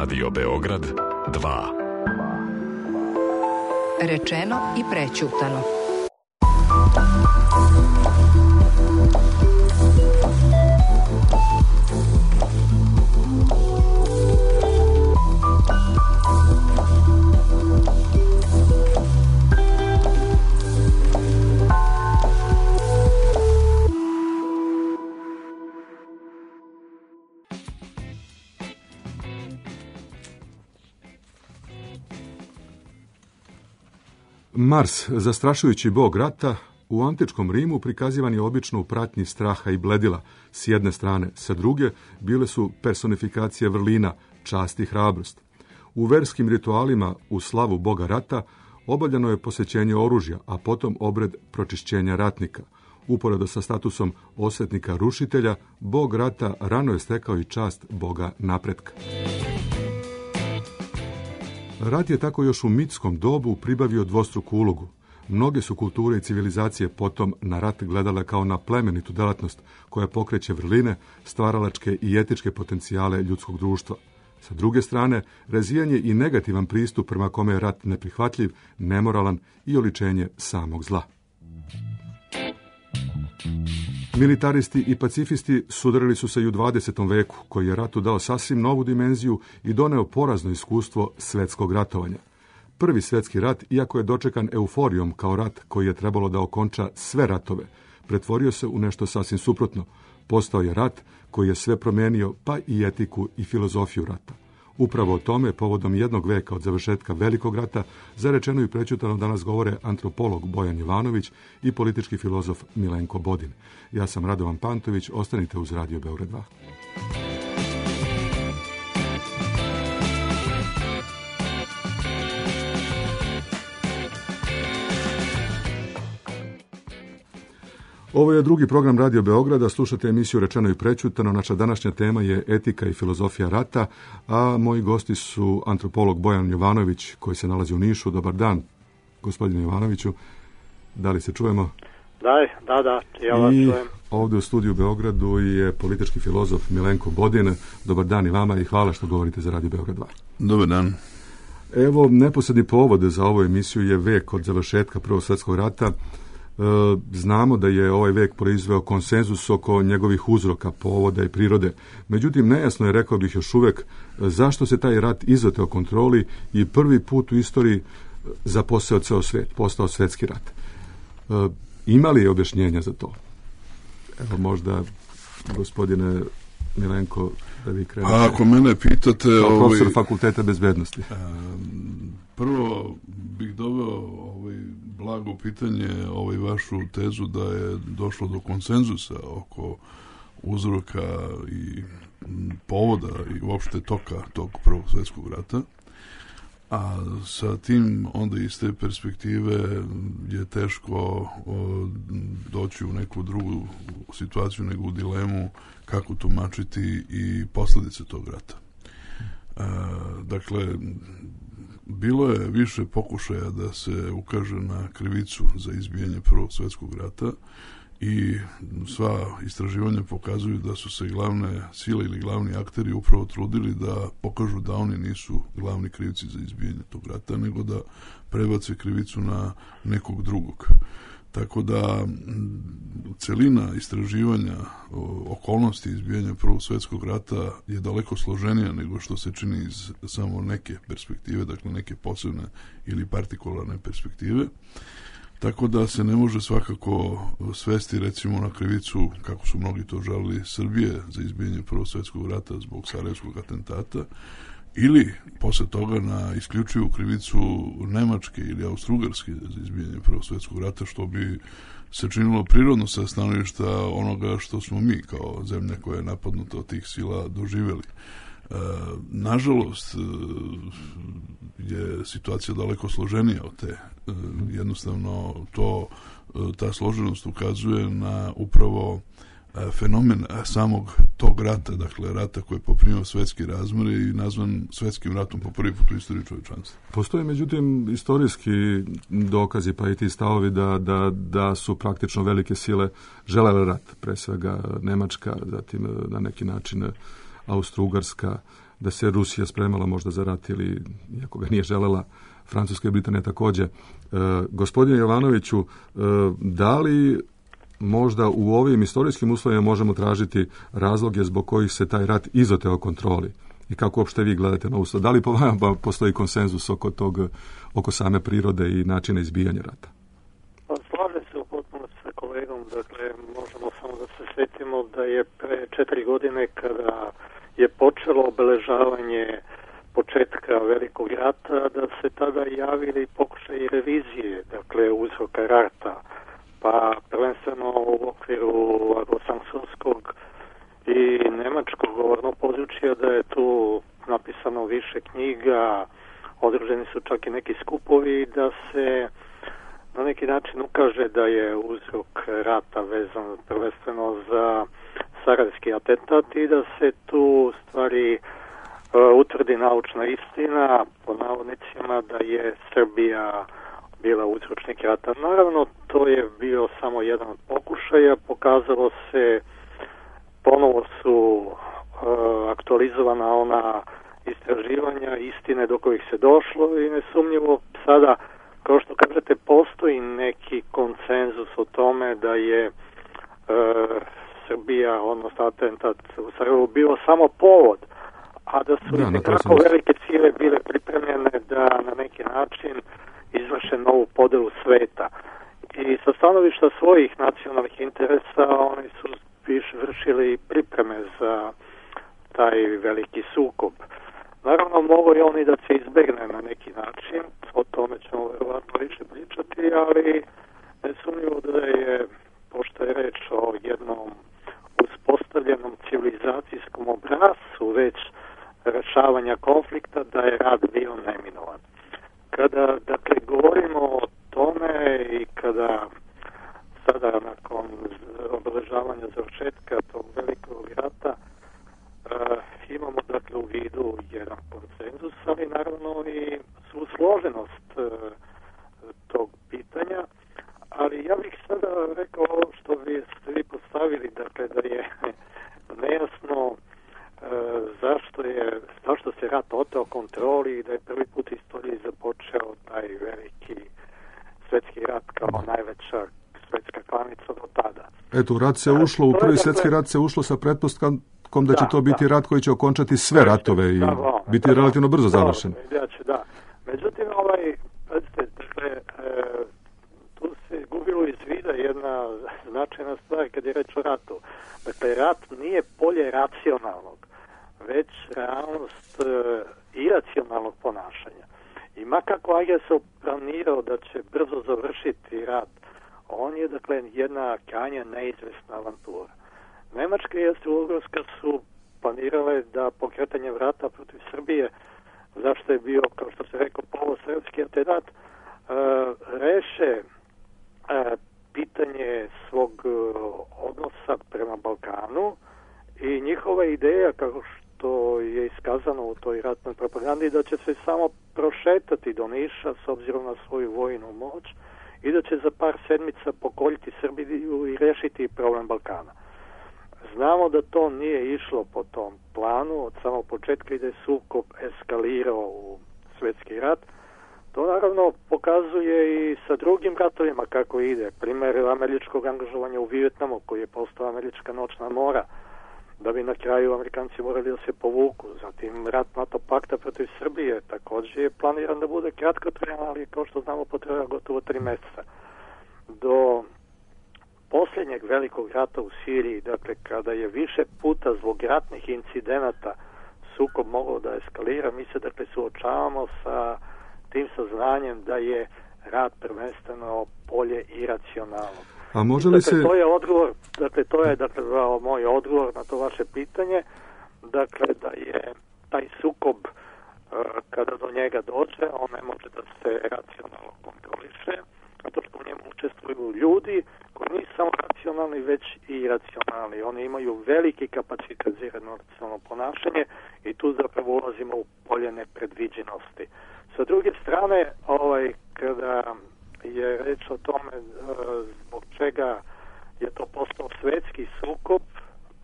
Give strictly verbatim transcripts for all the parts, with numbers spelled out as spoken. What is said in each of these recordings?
Radio Beograd dva. Rečeno i prećutano. Mars, zastrašujući bog rata, u antičkom Rimu prikazivan je obično u pratnji straha i bledila. S jedne strane, sa druge, bile su personifikacije vrlina, čast i hrabrost. U verskim ritualima u slavu boga rata obavljeno je posvećenje oružja, a potom obred pročišćenja ratnika. Uporedo sa statusom osvetnika rušitelja, bog rata rano je stekao i čast boga napretka. Rat je tako još u mitskom dobu pribavio dvostruku ulogu. Mnoge su kulture i civilizacije potom na rat gledale kao na plemenitu delatnost koja pokreće vrline, stvaralačke i etičke potencijale ljudskog društva. Sa druge strane, razvijanje i negativan pristup prema kome je rat neprihvatljiv, nemoralan i oličenje samog zla. Militaristi i pacifisti sudarili su se i u dvadesetom veku, koji je ratu dao sasvim novu dimenziju i doneo porazno iskustvo svetskog ratovanja. Prvi svetski rat, iako je dočekan euforijom kao rat koji je trebalo da okonča sve ratove, pretvorio se u nešto sasvim suprotno. Postao je rat koji je sve promenio, pa i etiku i filozofiju rata. Upravo o tome, povodom jednog veka od završetka Velikog rata, za rečeno i prećutano danas govore antropolog Bojan Jovanović i politički filozof Milenko Bodin. Ja sam Radovan Pantović, ostanite uz Radio Beograd dva. Ovo je drugi program Radio Beograda, slušate emisiju Rečeno i prećutano. Naša današnja tema je etika i filozofija rata, a moji gosti su antropolog Bojan Jovanović, koji se nalazi u Nišu. Dobar dan, gospodine Jovanoviću. Da li se čujemo? Da, da, da, ja vas I čujem. Ovdje u studiju u Beogradu je politički filozof Milenko Bodin. Dobar dan i vama i hvala što govorite za Radio Beograd dva. Dobar dan. Evo, neposredni povod za ovu emisiju je vek od završetka Prvog svjetskog rata. Znamo da je ovaj vek proizveo konsenzus oko njegovih uzroka, povoda i prirode. Međutim, nejasno je, rekao bih još uvek, zašto se taj rat izoteo kontroli i prvi put u istoriji zaposeo ceo svet, postao svetski rat. Ima li je objašnjenja za to? Evo možda, gospodine Milenko, da vi krenete. A ako mene pitate... Kao ovaj, profesor fakulteta bezbednosti. Prvo bih doveo ovaj, blago pitanje ovaj, vašu tezu da je došlo do konsenzusa oko uzroka i povoda i uopšte toka tog Prvog svjetskog rata. A sa tim onda iz te perspektive je teško o, doći u neku drugu situaciju nego u dilemu kako tumačiti i posljedice tog rata. E, dakle, bilo je više pokušaja da se ukaže na krivicu za izbijanje Prvog svjetskog rata i sva istraživanja pokazuju da su se glavne sile ili glavni akteri upravo trudili da pokažu da oni nisu glavni krivci za izbijanje tog rata, nego da prebace krivicu na nekog drugog. Tako da celina istraživanja okolnosti izbijanja Prvog svjetskog rata je daleko složenija nego što se čini iz samo neke perspektive, dakle neke posebne ili partikularne perspektive. Tako da se ne može svakako svesti recimo na krivicu, kako su mnogi to žalili, Srbije za izbijanje Prvog svjetskog rata zbog Sarajevskog atentata, ili posle toga na isključivu krivicu Nemačke ili Austro-Ugarske za izbijanje Prvog svjetskog rata, što bi se činilo prirodno sa stanovišta onoga što smo mi kao zemlja koja je napadnuta od tih sila doživjeli. E, nažalost, je situacija daleko složenija od te. E, jednostavno to, ta složenost ukazuje na upravo fenomen samog tog rata, dakle rata koji je poprimio svetski razmjer i nazvan svetskim ratom po prvi put u istoriji čovječanstva. Postoje međutim istorijski dokazi pa i ti stavovi da, da, da su praktično velike sile želele rat, pre svega Nemačka, zatim na neki način Austro-Ugarska, da se Rusija spremala možda za rat ili, iako ga nije želela, Francuska i Britanija također. E, gospodine Jovanoviću, e, da li možda u ovim istorijskim uslovima možemo tražiti razloge zbog kojih se taj rat izoteo kontroli? I kako uopšte vi gledate na uslov? Da li po vama postoji konsenzus oko tog, oko same prirode i načina izbijanja rata? Pa slažem se u potpunosti sa kolegom. Dakle, možemo samo da se sjetimo da je pre četiri godine kada je počelo obeležavanje početka Velikog rata, da se tada javili pokušaj revizije, dakle, uzroka rata. Pa prvenstveno u okviru anglosaksonskog i nemačkog govornog područja, da je tu napisano više knjiga, održani su čak i neki skupovi, da se na neki način ukaže da je uzrok rata vezan prvenstveno za sarajevski atentat i da se tu stvari uh, utvrdi naučna istina, po navodnicima da je Srbija bila uzročnik rata. Naravno, to je bio samo jedan od pokušaja, pokazalo se, ponovo su uh, aktualizovana ona istraživanja, istine do kojih se došlo i nesumnjivo sada, kao što kažete, postoji neki konsenzus o tome da je uh, Srbija, odnosno atentat u Sarajevu, bio samo povod, a da su da, nekako velike ciljeve bile pripremljene da na neki način izvrše novu podelu sveta. I sa stanovišta svojih nacionalnih interesa oni su više vršili pripreme za taj veliki sukob. Naravno, mogu i oni da se izbegne na neki način, o tome ćemo verovatno više pričati, ali nesumnjivo da je, pošto je reč o jednom uspostavljenom civilizacijskom obrascu već rešavanja konflikta, da je rat bio neminovan. Kada, dakle, govorimo o tome i kada sada nakon obeležavanja završetka tog velikog rata uh, imamo, dakle, u vidu jedan konsenzus, ali naravno i svu složenost uh, tog pitanja, ali ja bih sada rekao ovo što vi ste vi postavili, dakle, da je nejasno uh, zašto je zašto se rat oteo kontroli i da je prvi put u istoriji započeo taj veliki svjetski rat kao najveća svjetska klanica do tada. Eto, u rat se ušlo, u prvi svjetski rat se ušlo sa pretpostavkom da će to biti rat koji će okončati sve ratove i biti relativno brzo završen. Da. Međutim, ovaj, dakle, tu se gubilo iz vida jedna značajna stvar kad je reč o ratu. Dakle, rat nije polje racionalnog, već realnost iracionalnog ponašanja. I makako agresor planirao da će brzo završiti rat, on je, dakle, jedna krajnje neizvesna avantura. Nemačka i Austro-Ugarska su planirale da pokretanje rata protiv Srbije, zašto je bio, kao što se rekao, polosrpski atentat, uh, reše uh, pitanje svog uh, odnosa prema Balkanu i njihova ideja, kako što je iskazano u toj ratnoj propagandi, da će se samo prošetati do Niša s obzirom na svoju vojnu moć i da će za par sedmica pokoljiti Srbiju i rešiti problem Balkana. Znamo da to nije išlo po tom planu od samog početka i da je sukob eskalirao u svjetski rat. To naravno pokazuje i sa drugim ratovima kako ide. Primjer američkog angažovanja u Vijetnamu koji je postao američka noćna mora, da bi na kraju Amerikanci morali da se povuku. Zatim rat NATO pakta protiv Srbije također je planiran da bude kratkotrajan, ali kao što znamo potreba gotovo tri mjeseca. Do posljednjeg velikog rata u Siriji, dakle, kada je više puta zbog ratnih incidenata sukob mogao da eskalira, mi se, dakle, suočavamo sa tim saznanjem da je rat prvenstveno polje iracionalno. A može li dakle, se... to je odgovor, dakle, to je, dakle, moj odgovor na to vaše pitanje, dakle, da je taj sukob, kada do njega dođe, on ne može da se racionalno kontroliše, zato što u njemu učestvuju ljudi koji nisu samo racionalni, već i iracionalni. Oni imaju veliki kapacitet za iracionalno ponašanje i tu zapravo ulazimo u polje nepredviđenosti. Sa druge strane, ovaj, kada je reč o tome zbog čega je to postao svjetski sukob,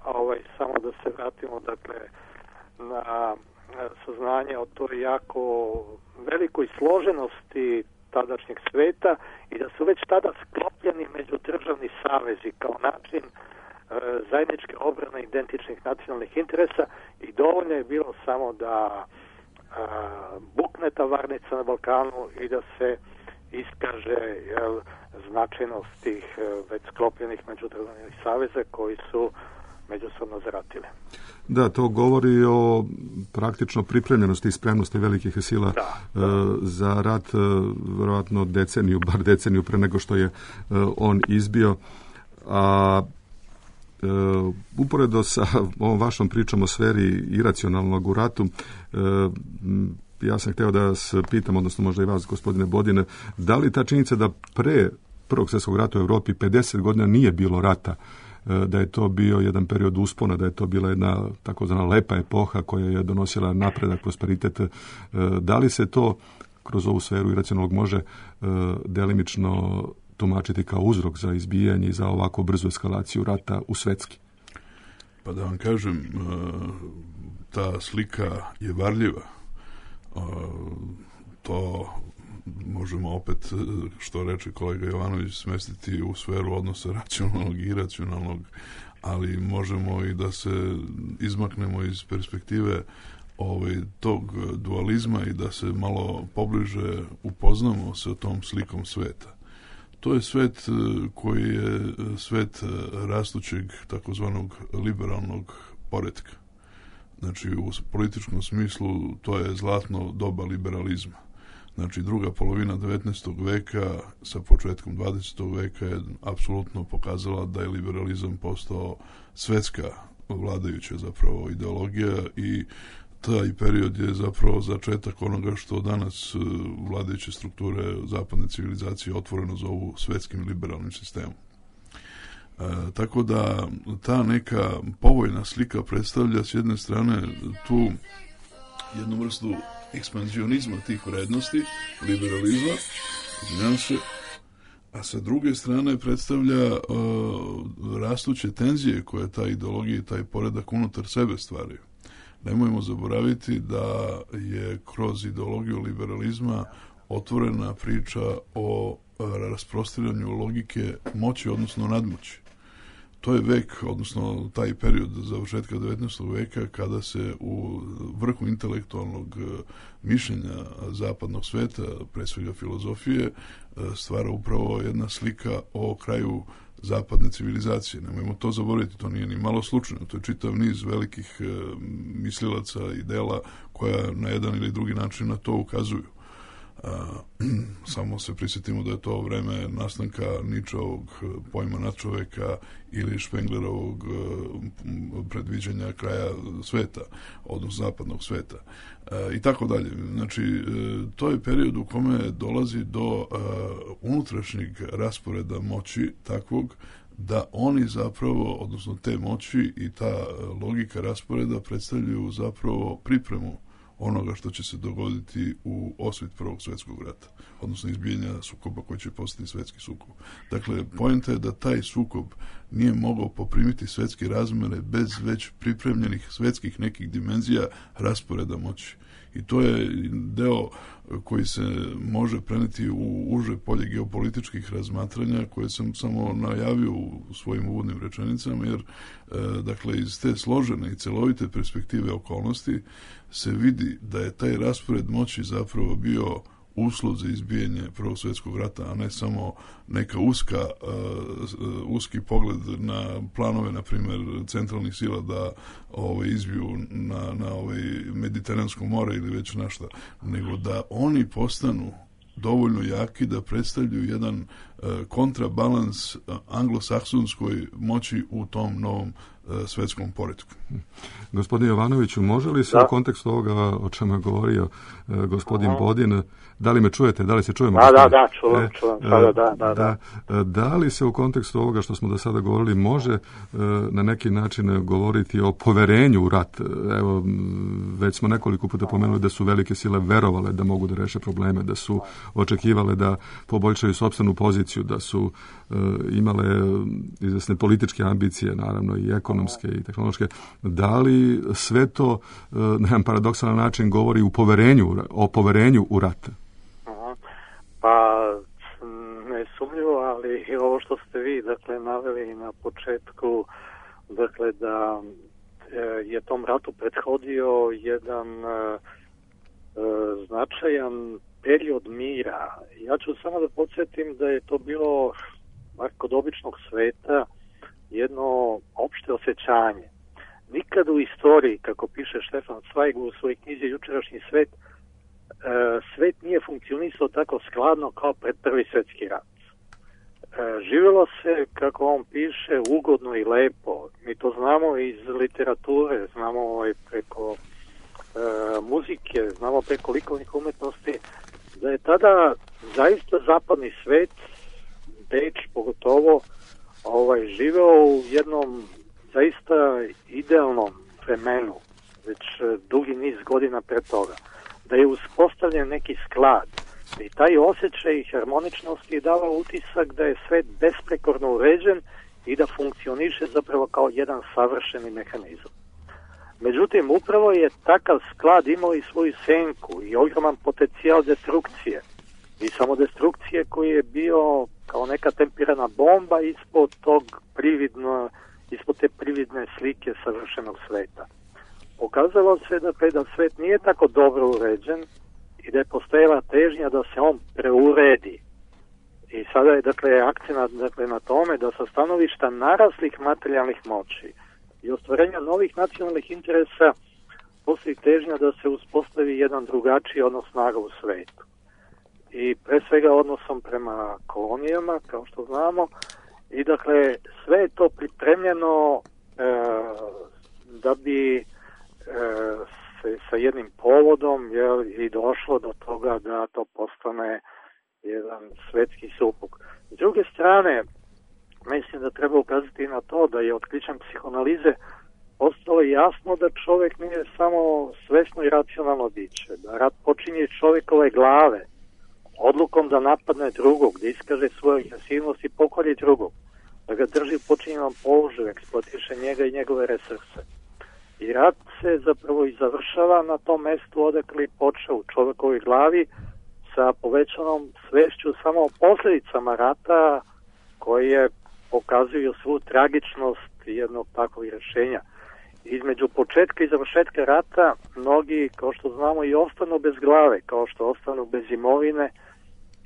ovaj, samo da se vratimo, dakle, na tadašnjeg sveta i da su već tada sklopljeni međudržavni savezi kao način e, zajedničke obrane identičnih nacionalnih interesa i dovoljno je bilo samo da a, bukne ta varnica na Balkanu i da se iskaže jel, značajnost tih e, već sklopljenih međudržavnih saveza koji su međusobno zaratili. Da, to govori o praktično pripremljenosti i spremnosti velikih sila da, da. E, za rat, e, vjerojatno deceniju, bar deceniju pre nego što je e, on izbio. A e, uporedo sa ovom vašom pričom o sferi iracionalnog u ratu, e, ja sam hteo da vas pitam, odnosno možda i vas, gospodine Bodine, da li ta činjenica da pre Prvog svjetskog rata u Europi pedeset godina nije bilo rata, da je to bio jedan period uspona, da je to bila jedna takozvana lepa epoha koja je donosila napredak, prosperitet. Da li se to kroz ovu sferu iracionalnog može delimično tumačiti kao uzrok za izbijanje i za ovako brzu eskalaciju rata u svetski? Pa da vam kažem, ta slika je varljiva. To možemo opet, što reče kolega Jovanović, smestiti u sferu odnosa racionalnog i iracionalnog, ali možemo i da se izmaknemo iz perspektive ovaj, tog dualizma i da se malo pobliže upoznamo sa tom slikom sveta. To je svet koji je svet rastućeg takozvanog liberalnog poretka. Znači, u političkom smislu to je zlatno doba liberalizma. Znači, druga polovina devetnaestog veka sa početkom dvadesetog veka je apsolutno pokazala da je liberalizam postao svetska vladajuća zapravo ideologija i taj period je zapravo začetak onoga što danas vladajuće strukture zapadne civilizacije otvoreno zovu svetskim liberalnim sistemom. E, tako da ta neka povoljna slika predstavlja s jedne strane tu jednu vrstu ekspanzionizma tih vrednosti, liberalizma, izvinjam se, a sa druge strane predstavlja uh, rastuće tenzije koje ta ideologija i taj poredak unutar sebe stvaraju. Nemojmo zaboraviti da je kroz ideologiju liberalizma otvorena priča o rasprostiranju logike moći, odnosno nadmoći. To je vek, odnosno taj period završetka devetnaestog veka kada se u vrhu intelektualnog mišljenja zapadnog sveta, pre svega filozofije, stvara upravo jedna slika o kraju zapadne civilizacije. Nemojmo to zaboraviti, to nije ni malo slučajno. To je čitav niz velikih mislilaca i dela koja na jedan ili drugi način na to ukazuju. A, samo se prisjetimo da je to vreme nastanka Ničeovog pojma nadčoveka ili Špenglerovog predviđanja kraja sveta, odnosno zapadnog sveta a, i tako dalje. Znači, to je period u kome dolazi do a, unutrašnjeg rasporeda moći takvog da oni zapravo, odnosno te moći i ta logika rasporeda predstavljaju zapravo pripremu onoga što će se dogoditi u osvit Prvog svjetskog rata, odnosno izbijanja sukoba koji će postati svetski sukob. Dakle, poenta je da taj sukob nije mogao poprimiti svetske razmere bez već pripremljenih svetskih nekih dimenzija rasporeda moći. I to je deo koji se može preneti u uže polje geopolitičkih razmatranja koje sam samo najavio u svojim uvodnim rečenicama, jer dakle iz te složene i celovite perspektive okolnosti se vidi da je taj raspored moći zapravo bio uslov za izbijanje Prvog svjetskog rata, a ne samo neka uska, uh, uski pogled na planove, na primjer, centralnih sila da ovaj, izbiju na, na ovaj Mediteransko more ili već našta, nego da oni postanu dovoljno jaki da predstavljaju jedan uh, kontrabalans uh, anglosaksonskoj moći u tom novom uh, svetskom poretku. Gospodin Jovanoviću, može li se da. u kontekstu ovoga o čemu je govorio uh, gospodin Aha. Bodin, da li me čujete, da li se čujemo? Da, da, da, čuvam, e, čuvam, sada, da, da, da. Da, da li se u kontekstu ovoga što smo do sada govorili može uh, na neki način govoriti o poverenju u rat? Evo, već smo nekoliko puta pomenuli da su velike sile verovale da mogu da reše probleme, da su očekivale da poboljšaju sopstvenu poziciju, da su uh, imale izvesne političke ambicije, naravno i ekonomske i tehnološke. Da li sve to uh, na jedan paradoksalan način govori u poverenju, o poverenju u rat? Pa nesumnjivo, ali i ovo što ste vi, dakle, naveli na početku, dakle, da je tom ratu prethodio jedan e, značajan period mira. Ja ću samo da podsjetim da je to bilo, bar kod običnog sveta, jedno opšte osjećanje. Nikad u istoriji, kako piše Štefan Zweig u svojoj knjizi Jučerašnji svet, e, svet nije funkcionisao tako skladno kao pred Prvi svjetski rat. E, živjelo se, kako on piše, ugodno i lepo. Mi to znamo iz literature, znamo ovaj preko e, muzike, znamo preko likovnih umetnosti, da je tada zaista zapadni svet, Beč pogotovo, ovaj, živeo u jednom zaista idealnom vremenu, već dugi niz godina pre toga. Da je uspostavljen neki sklad i taj osjećaj harmoničnosti je dava utisak da je svet besprekorno uređen i da funkcioniše zapravo kao jedan savršeni mehanizam. Međutim, upravo je takav sklad imao i svoju senku i ogroman potencijal destrukcije. I samo destrukcije koji je bio kao neka tempirana bomba ispod tog prividno, ispod te prividne slike savršenog sveta. Pokazalo se da, da svet nije tako dobro uređen i da je postojala težnja da se on preuredi. I sada je, dakle, akcenat, dakle, na tome da sa stanovišta naraslih materijalnih moći i ostvarenja novih nacionalnih interesa postoji težnja da se uspostavi jedan drugačiji odnos snaga u svetu. I pre svega odnosom prema kolonijama, kao što znamo, i dakle sve je to pripremljeno e, da bi e, se sa jednim povodom jel, i došlo do toga da to postane jedan svetski supuk. S druge strane, mislim da treba ukazati na to da je otkrićem psihoanalize postalo jasno da čovjek nije samo svesno i racionalno biće, da rat počinje iz čovjekove glave, odlukom da napadne drugog, da iskaže svoju agresivnost i pokori drugog, da ga drži u počinjenom položaju, eksploatiše njega i njegove resurse. I rat se zapravo i završava na tom mestu odakle je počeo u čovjekovoj glavi sa povećanom svešću samo o posljedicama rata koje pokazuju svu tragičnost jednog takvog rješenja. Između početka i završetka rata mnogi, kao što znamo, i ostanu bez glave, kao što ostanu bez imovine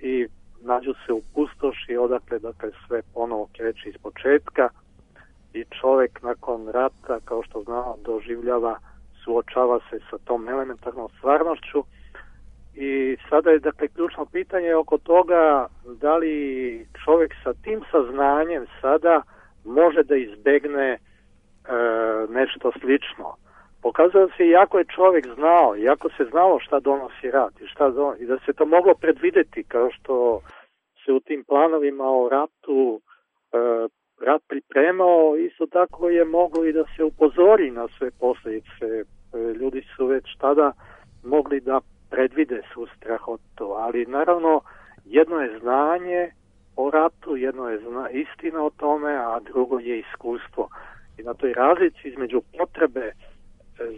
i nađu se u pustoši odakle dakle, sve ponovo kreće iz početka i čovjek nakon rata, kao što znamo, doživljava, suočava se sa tom elementarnom stvarnošću i sada je dakle ključno pitanje oko toga da li čovjek sa tim saznanjem sada može da izbegne e, nešto slično. Pokazalo se iako je čovjek znao, iako se znalo šta donosi rat i, šta don... i da se to moglo predvideti kao što se u tim planovima o ratu e, rat pripremao, isto tako je moglo i da se upozori na sve posljedice. E, ljudi su već tada mogli da predvide svu strahotu, ali naravno jedno je znanje o ratu, jedno je zna... istina o tome, a drugo je iskustvo. I na toj razlici između potrebe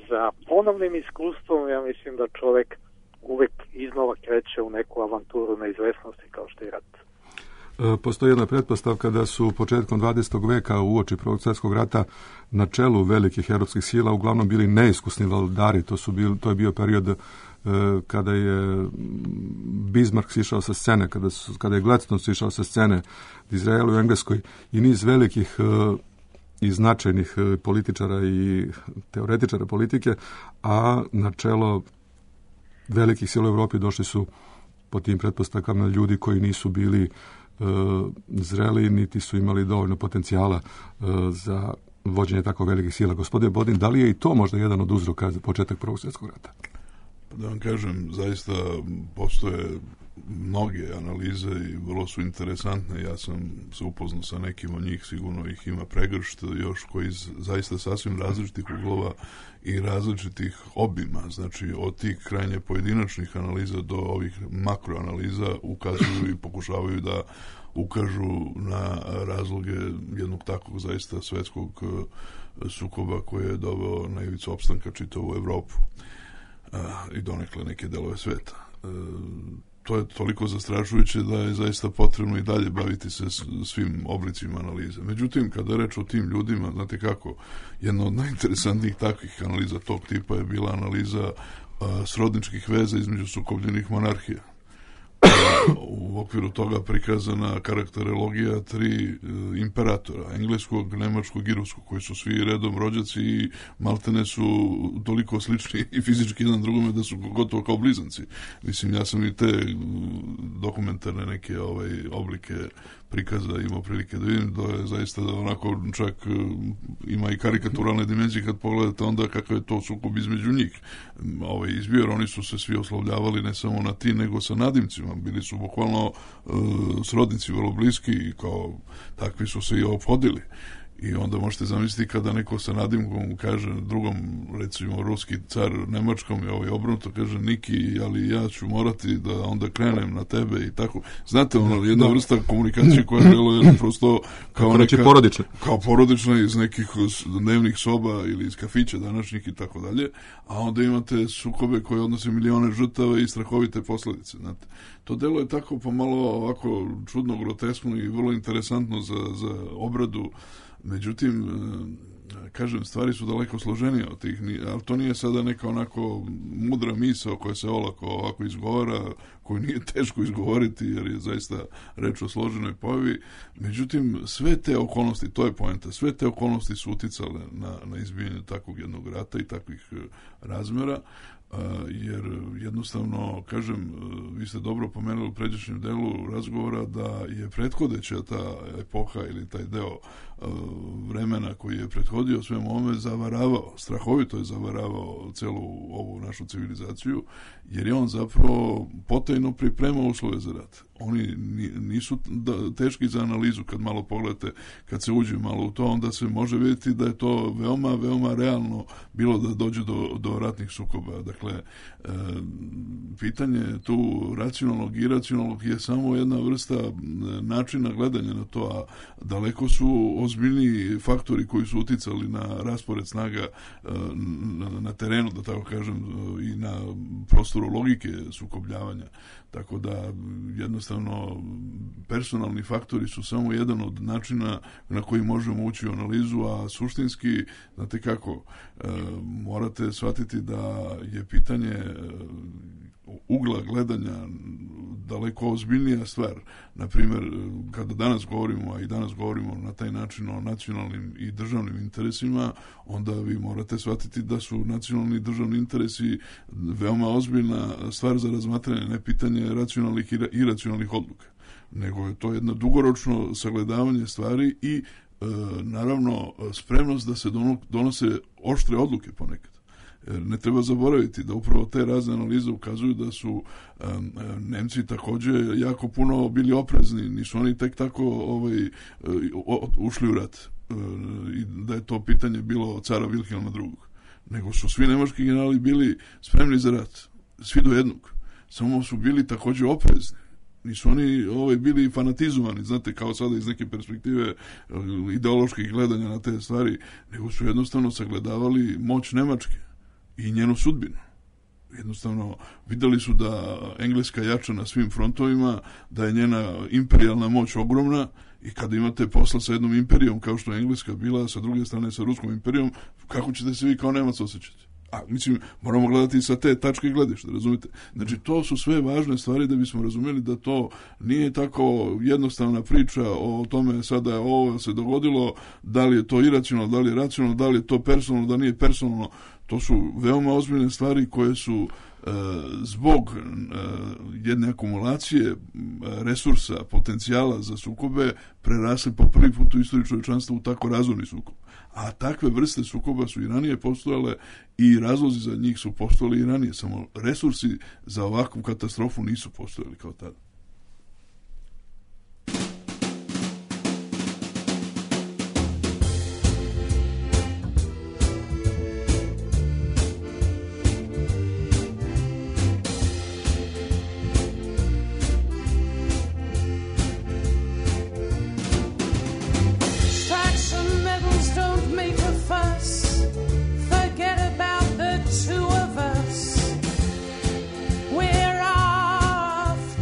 za ponovnim iskustvom, ja mislim da čovjek uvijek iznova kreće u neku avanturu neizvesnosti kao što je rat. Postoji jedna pretpostavka da su početkom dvadesetog veka uoči Prvog svjetskog rata na čelu velikih europskih sila uglavnom bili neiskusni vladari. To, su bil, to je bio period e, kada je Bismarck sišao sa scene, kada, su, kada je Gladstone sišao sa scene u Izraelu i Engleskoj i niz velikih e, i značajnih političara i teoretičara politike, a na čelo velikih sila u Europi došli su po tim pretpostavkama ljudi koji nisu bili e, zreli, niti su imali dovoljno potencijala e, za vođenje tako velikih sila. Gospodine Bodin, da li je i to možda jedan od uzroka za početak Prvog svjetskog rata? Da vam kažem, zaista postoje mnoge analize i vrlo su interesantne. Ja sam se upoznao sa nekim od njih, sigurno ih ima pregršt, još koji iz zaista sasvim različitih uglova i različitih obima, znači od tih krajnje pojedinačnih analiza do ovih makroanaliza ukazuju i pokušavaju da ukažu na razloge jednog takvog zaista svetskog sukoba koji je doveo na ivicu opstanka čitavu Evropu i donekle neke delove sveta. to je toliko zastrašujuće da je zaista potrebno i dalje baviti se svim oblicima analize. Međutim, kada je reč o tim ljudima, znate kako, jedna od najinteresantnijih takvih analiza tog tipa je bila analiza a, srodničkih veza između sukobljenih monarhija. U okviru toga prikazana karakterologija tri e, imperatora, engleskog, nemačkog i ruskog, koji su svi redom rođaci i maltene su toliko slični i fizički jedan drugome da su gotovo kao blizanci. Mislim, ja sam i te dokumentarne neke ovaj, oblike prikaza imao prilike da vidim, da je zaista da onako čak ima i karikaturalne dimenzije kad pogledate onda kakav je to sukob između njih. Ovaj, izbio, jer oni su se svi oslovljavali ne samo na ti, nego sa nadimcima. Bili su bukvalno uh, srodnici vrlo bliski i kao takvi su se i ophodili. I onda možete zamisliti kada neko sa nadimkom kaže drugom, recimo ruski car nemačkom je ovaj obrnuto, kaže Niki, ali ja ću morati da onda krenem na tebe i tako. Znate, ono, jedna da. vrsta komunikacije koja je prosto kao neka, porodična. kao porodična iz nekih dnevnih soba ili iz kafića današnjih i tako dalje, a onda imate sukobe koje odnose milione žrtava i strahovite posledice, znate. To delo je tako pomalo ovako čudno, groteskno i vrlo interesantno za, za obradu. Međutim, kažem, stvari su daleko složenije od tih, ali to nije sada neka onako mudra misao koja se olako ovako izgovara, koju nije teško izgovoriti jer je zaista reč o složenoj pojavi. Međutim, sve te okolnosti, to je poenta, sve te okolnosti su uticale na, na izbijanje takvog jednog rata i takvih razmjera, jer jednostavno, kažem, vi ste dobro pomenuli u pređašnjem delu razgovora da je prethodeća ta epoha ili taj deo vremena koji je prethodio svemu ovome zavaravao, strahovito je zavaravao celu ovu našu civilizaciju, jer je on zapravo potajno pripremao uslove za rat. Oni nisu teški za analizu kad malo pogledate, kad se uđe malo u to, onda se može vidjeti da je to veoma, veoma realno bilo da dođe do, do ratnih sukoba. Dakle, e, pitanje tu racionalnog i iracionalnog je samo jedna vrsta načina gledanja na to, a daleko su ozbiljniji faktori koji su uticali na raspored snaga na, na terenu, da tako kažem, i na prostoru logike sukobljavanja. Tako da jednostavno personalni faktori su samo jedan od načina na koji možemo ući u analizu, a suštinski, znate kako, e, morate shvatiti da je pitanje ugla gledanja daleko ozbiljnija stvar. Naprimjer, kada danas govorimo, a i danas govorimo na taj način o nacionalnim i državnim interesima, onda vi morate shvatiti da su nacionalni i državni interesi veoma ozbiljna stvar za razmatranje, ne pitanje racionalnih i iracionalnih odluka, nego je to jedno dugoročno sagledavanje stvari i e, naravno spremnost da se donose oštre odluke ponekad. Ne treba zaboraviti da upravo te razne analize ukazuju da su um, Nemci također jako puno bili oprezni, nisu oni tek tako ovaj, ušli u rat uh, i da je to pitanje bilo cara Wilhelma drugog. Nego su svi nemački generali bili spremni za rat, svi do jednog, samo su bili također oprezni. Nisu oni ovaj, bili fanatizovani, znate, kao sada iz neke perspektive ideoloških gledanja na te stvari, nego su jednostavno sagledavali moć Nemačke i njenu sudbinu. Jednostavno vidjeli su da Engleska jača na svim frontovima, da je njena imperijalna moć ogromna i kada imate posla sa jednom imperijom kao što je Engleska bila, sa druge strane sa Ruskom imperijom, kako ćete se vi kao Nemac osjećati? A, mislim, moramo gledati sa te tačke gledišta, razumite? Znači, to su sve važne stvari da bismo razumjeli da to nije tako jednostavna priča o tome sada ovo se dogodilo, da li je to iracionalno, da li je racionalno, da li je to personalno, da nije personalno. To su veoma ozbiljne stvari koje su e, zbog e, jedne akumulacije resursa, potencijala za sukobe prerasli po prvi put u istoriji čovječanstva u tako razorni sukob. A takve vrste sukoba su i ranije postojale i razlozi za njih su postojali i ranije, samo resursi za ovakvu katastrofu nisu postojali kao tada. We're off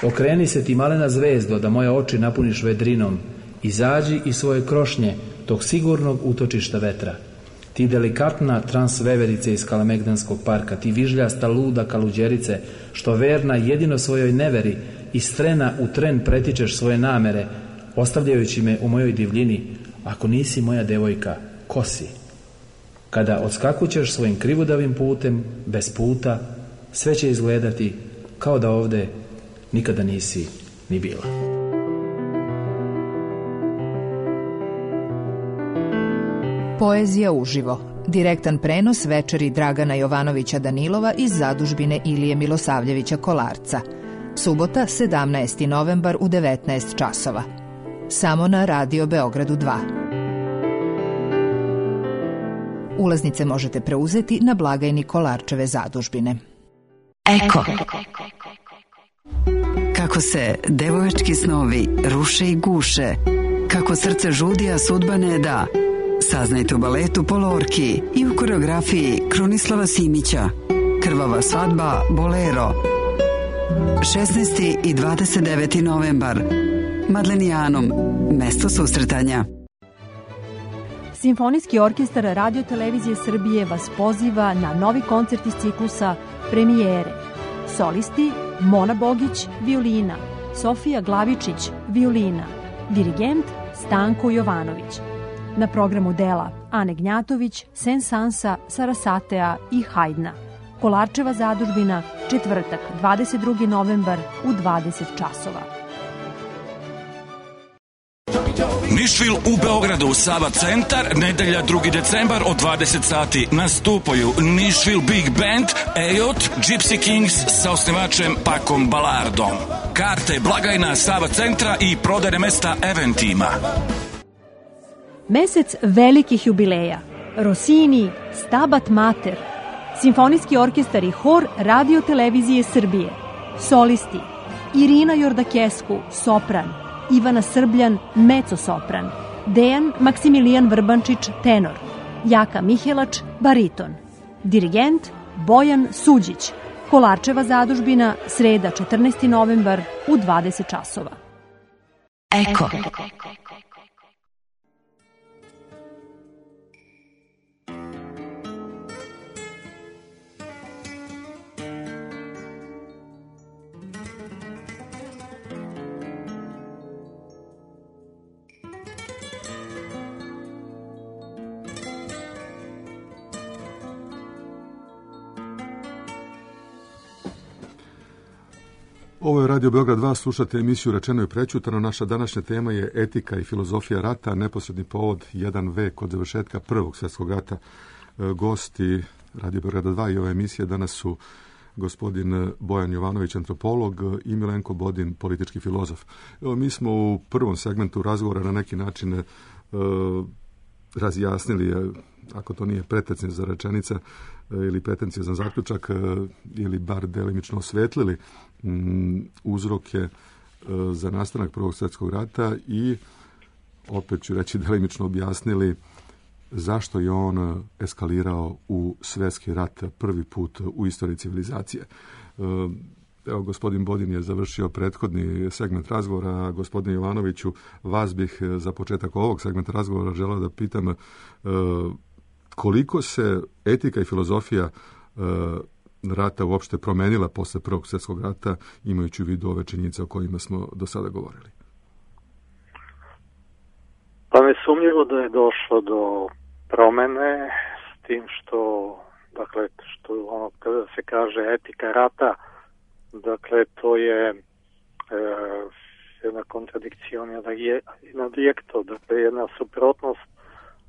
Okreni se ti malena zvezdo, da moje oči napuniš vedrinom. Izađi iz svoje krošnje, tog sigurnog utočišta vetra. Ti delikatna transveverice iz Kalemegdanskog parka, ti vižljasta luda kaluđerice, što verna jedino svojoj neveri, iz trena u tren pretičeš svoje namere, ostavljajući me u mojoj divljini. Ako nisi moja devojka, ko si? Kada odskakućeš svojim krivudavim putem, bez puta, sve će izgledati kao da ovde nikada nisi ni bila. Poezija uživo. Direktan prenos večeri Dragana Jovanovića Danilova iz zadužbine Ilije Milosavljevića Kolarca. Subota, sedamnaesti novembar u devetnaest časova. Samo na Radio Beogradu dva. Ulaznice možete preuzeti na blagajni Kolarčeve zadužbine. Eko. Kako se devojački snovi ruše i guše, kako srce žudi, a sudba ne da. Saznajte u baletu Polorki i u koreografiji Krunislava Simića. Krvava svadba Bolero. šesnaesti i dvadeset deveti novembar. Madlenijanom, mesto susretanja. Simfonijski orkestar Radio Televizije Srbije vas poziva na novi koncert iz ciklusa Premijere. Solisti Mona Bogić, violina, Sofija Glavičić, violina, dirigent Stanko Jovanović. Na programu dela Ane Gnjatović, Sensansa, Sarasatea i Hajdna. Kolarčeva zadužbina, četvrtak, dvadeset drugi novembar u dvadeset časova. Nišvil u Beogradu, Sava centar, nedelja drugi decembar od dvadeset sati. Nastupaju Nišvil Big Band, Ejot, Gypsy Kings sa osnivačem Pakom Balardom. Karte blagajna Sava centra i prodajne mesta Eventima. Mesec velikih jubileja. Rossini, Stabat Mater, Simfonijski orkestar i hor Radio Televizije Srbije. Solisti Irina Jordakesku, sopran, Ivana Srbljan, mezzo-sopran, Dejan Maksimilijan Vrbančić, tenor, Jaka Mihelač, bariton, dirigent Bojan Suđić. Kolarčeva zadužbina, sreda četrnaesti novembar u dvadeset časova. Eko. Ovo je Radio Beograd dva, slušate emisiju Rečeno i prećutano. Naša današnja tema je etika i filozofija rata, neposredni povod jedan vek od završetka Prvog svjetskog rata. Gosti Radio Beograda dva i ove emisije danas su gospodin Bojan Jovanović, antropolog, i Milenko Bodin, politički filozof. Evo, mi smo u prvom segmentu razgovora na neki način e, razjasnili, ako to nije pretencija za rečenica e, ili pretencija za zaključak, e, ili bar delimično osvetlili m, uzroke e, za nastanak Prvog svjetskog rata i opet ću reći delimično objasnili zašto je on eskalirao u svjetski rat prvi put u istoriji civilizacije. Evo, gospodin Bodin je završio prethodni segment razgovora, a gospodine Jovanoviću, vas bih za početak ovog segmenta razgovora želeo da pitam koliko se etika i filozofija rata uopšte promenila posle Prvog svjetskog rata, imajući u vidu ove činjenice o kojima smo do sada govorili. Pa nesumnjivo da je došlo do promene, s tim što, dakle, što ono kada se kaže etika rata, dakle, to je e, jedna kontradikcija in adjekto, dakle, jedna suprotnost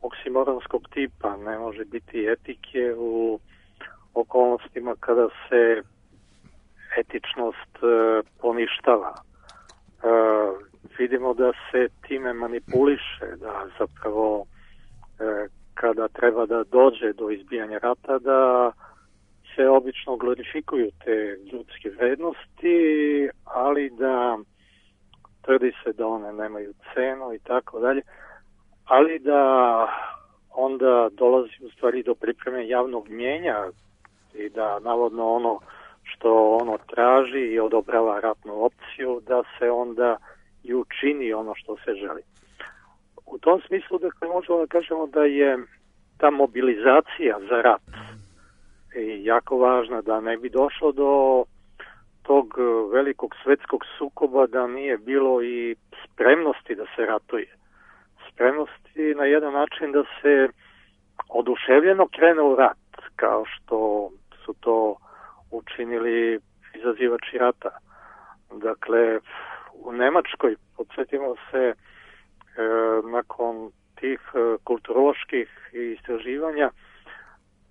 oksimoronskog tipa. Ne može biti etike u okolnostima kada se etičnost e, poništava. E, vidimo da se time manipuliše, da zapravo e, kada treba da dođe do izbijanja rata, da se obično glorifikuju te ljudske vrednosti, ali da tvrdi se da one nemaju cenu i tako dalje, ali da onda dolazi u stvari do pripreme javnog mnjenja i da navodno ono što ono traži i odobrava ratnu opciju, da se onda i učini ono što se želi. U tom smislu, dakle, možemo da kažemo da je ta mobilizacija za rat je jako važna, da ne bi došlo do tog velikog svetskog sukoba, da nije bilo i spremnosti da se ratuje. Spremnosti na jedan način da se oduševljeno krene u rat, kao što su to učinili izazivači rata. Dakle, u Nemačkoj, podsjetimo se, e, nakon tih e, kulturoloških istraživanja,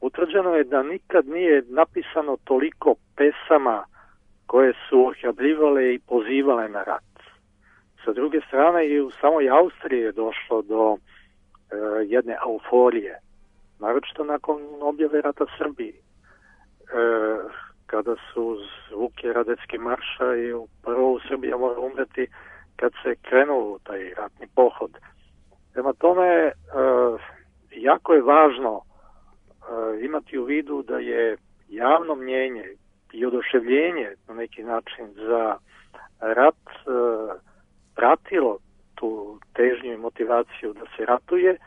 utvrđeno je da nikad nije napisano toliko pesama koje su ohrabljivale i pozivale na rat. Sa druge strane, i u samoj Austriji je došlo do e, jedne euforije, naročito nakon objave rata Srbiji, e, kada su zvuke Radetski marša i prvo Srbija mora umreti kad se krenuo u taj ratni pohod. Prema tome, e, jako je važno e, imati u vidu da je javno mnjenje i oduševljenje na neki način za rat e, pratilo tu težnju i motivaciju da se ratuje